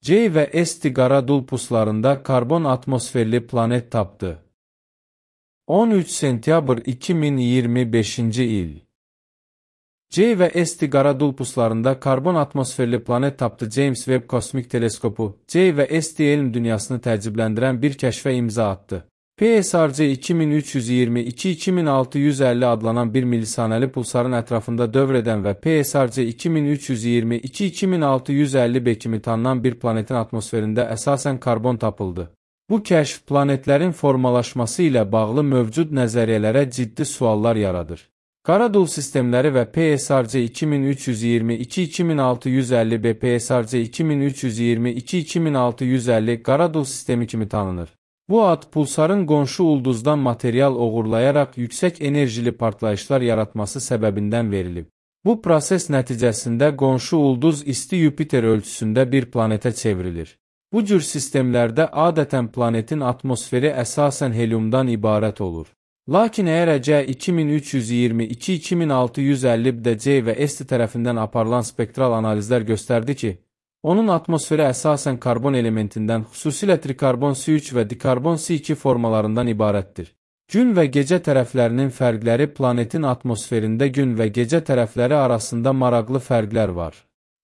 C və S Qaradulpuslarında karbon atmosferli planet tapdı. 13 sentyabr 2025-ci il. C və S Qaradulpuslarında karbon atmosferli planet tapdı. James Webb Kosmik Teleskopu C və S elm dünyasını təəccübləndirən bir kəşfə imza atdı. PSRC 2322-2650 adlanan bir milisanəli pulsarın ətrafında dövr edən və PSRC 2322-2650b kimi tanınan bir planetin atmosferində əsasən karbon tapıldı. Bu kəşf planetlərin formalaşması ilə bağlı mövcud nəzəriyyələrə ciddi suallar yaradır. Qaradul sistemləri və PSRC 2322-2650b PSRC 2322-2650 Qaradul sistemi kimi tanınır. Bu ad pulsarın qonşu ulduzdan material oğurlayaraq yüksək enerjili partlayışlar yaratması səbəbindən verilib. Bu proses nəticəsində qonşu ulduz isti Yupiter ölçüsündə bir planetə çevrilir. Bu cür sistemlərdə adətən planetin atmosferi əsasən heliumdan ibarət olur. Lakin əgər C 2322-2650-də C və S tərəfindən aparılan spektral analizlər göstərdi ki, onun atmosferi əsasən karbon elementindən, xüsusilə trikarbon C3 və dikarbon C2 formalarından ibarətdir. Gün və gecə tərəflərinin fərqləri planetin atmosferində gün və gecə tərəfləri arasında maraqlı fərqlər var.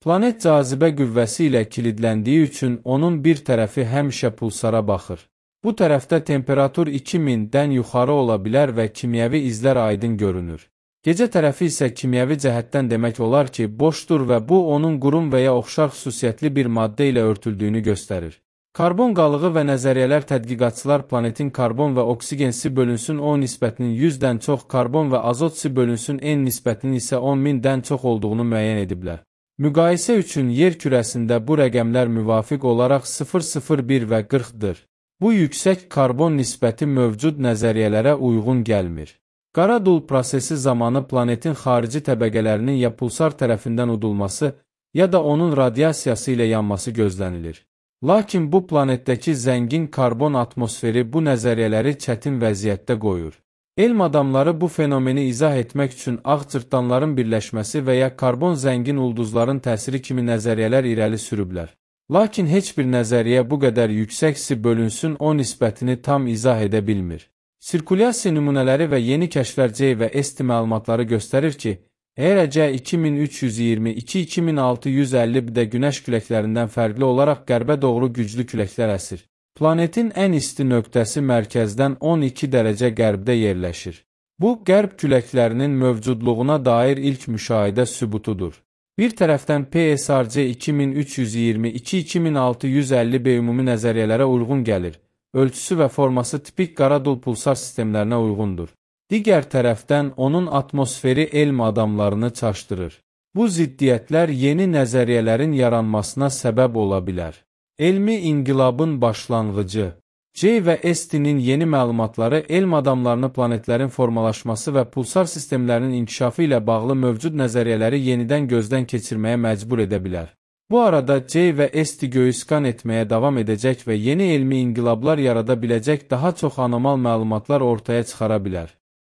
Planet cazibə qüvvəsi ilə kilidləndiyi üçün onun bir tərəfi həmişə pulsara baxır. Bu tərəfdə temperatur 2000-dən yuxarı ola bilər və kimyəvi izlər aydın görünür. Gecə tərəfi isə kimyəvi cəhətdən demək olar ki, boşdur və bu onun qurum və ya oxşar xüsusiyyətli bir maddə ilə örtüldüyünü göstərir. Karbon qalığı və nəzəriyyələr tədqiqatçılar planetin karbon və oksigen C bölünsün O nisbətinin 100-dən çox, karbon və azot C bölünsün N nisbətinin isə 10.000-dən çox olduğunu müəyyən ediblər. Müqayisə üçün yer kürəsində bu rəqəmlər müvafiq olaraq 0,01 və 40-dır. Bu yüksək karbon nisbəti mövcud nəzəriyyələrə uyğun gəlmir. Qaradul prosesi zamanı planetin xarici təbəqələrinin ya pulsar tərəfindən udulması, ya da onun radiasiyası ilə yanması gözlənilir. Lakin bu planetdəki zəngin karbon atmosferi bu nəzəriyyələri çətin vəziyyətdə qoyur. Elm adamları bu fenomeni izah etmək üçün ağ cırtdanların birləşməsi və ya karbon zəngin ulduzların təsiri kimi nəzəriyyələr irəli sürüblər. Lakin heç bir nəzəriyyə bu qədər yüksək C bölünsün O nisbətini tam izah edə bilmir. Sirkulyasiya nümunələri və yeni kəşflər C və S məlumatları göstərir ki, əgər C 2322-2650-də günəş küləklərindən fərqli olaraq qərbə doğru güclü küləklər əsir. Planetin ən isti nöqtəsi mərkəzdən 12 dərəcə qərbdə yerləşir. Bu, qərb küləklərinin mövcudluğuna dair ilk müşahidə sübutudur. Bir tərəfdən PSRC 2322-2650b ümumi nəzəriyyələrə uyğun gəlir. Ölçüsü və forması tipik Qaradul pulsar sistemlərinə uyğundur. Digər tərəfdən onun atmosferi elm adamlarını çaşdırır. Bu ziddiyyətlər yeni nəzəriyyələrin yaranmasına səbəb ola bilər. Elmi inqilabın başlanğıcı. C və S-nin yeni məlumatları elm adamlarını planetlərin formalaşması və pulsar sistemlərinin inkişafı ilə bağlı mövcud nəzəriyyələri yenidən gözdən keçirməyə məcbur edə bilər. Bu arada C və S göyü skan etməyə davam edəcək və yeni elmi inqilablar yarada biləcək daha çox anormal məlumatlar ortaya çıxara bilər.